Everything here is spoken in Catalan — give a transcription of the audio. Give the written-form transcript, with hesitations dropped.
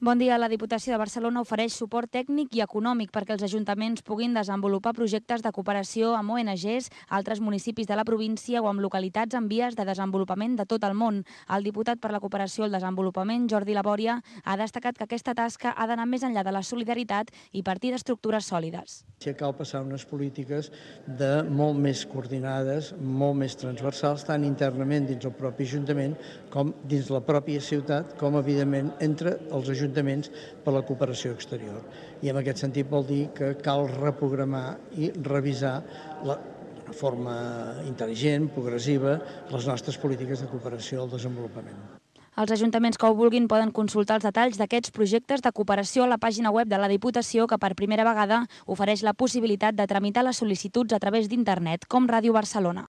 Bon dia. La Diputació de Barcelona ofereix suport tècnic i econòmic perquè els ajuntaments puguin desenvolupar projectes de cooperació amb ONGs, altres municipis de la província o amb localitats en vies de desenvolupament de tot el món. El diputat per la cooperació i el desenvolupament, Jordi Labòria, ha destacat que aquesta tasca ha d'anar més enllà de la solidaritat i partir d'estructures sòlides. Cal passar unes polítiques molt més coordinades, molt més transversals, tant internament dins el propi Ajuntament com dins la pròpia ciutat, com evidentment entre els ajuntaments per la cooperació exterior. I en aquest sentit vol dir que cal reprogramar i revisar d'una forma intel·ligent, progressiva, les nostres polítiques de cooperació al desenvolupament. Els ajuntaments que ho vulguin poden consultar els detalls d'aquests projectes de cooperació a la pàgina web de la Diputació, que per primera vegada ofereix la possibilitat de tramitar les sol·licituds a través d'internet, com Ràdio Barcelona.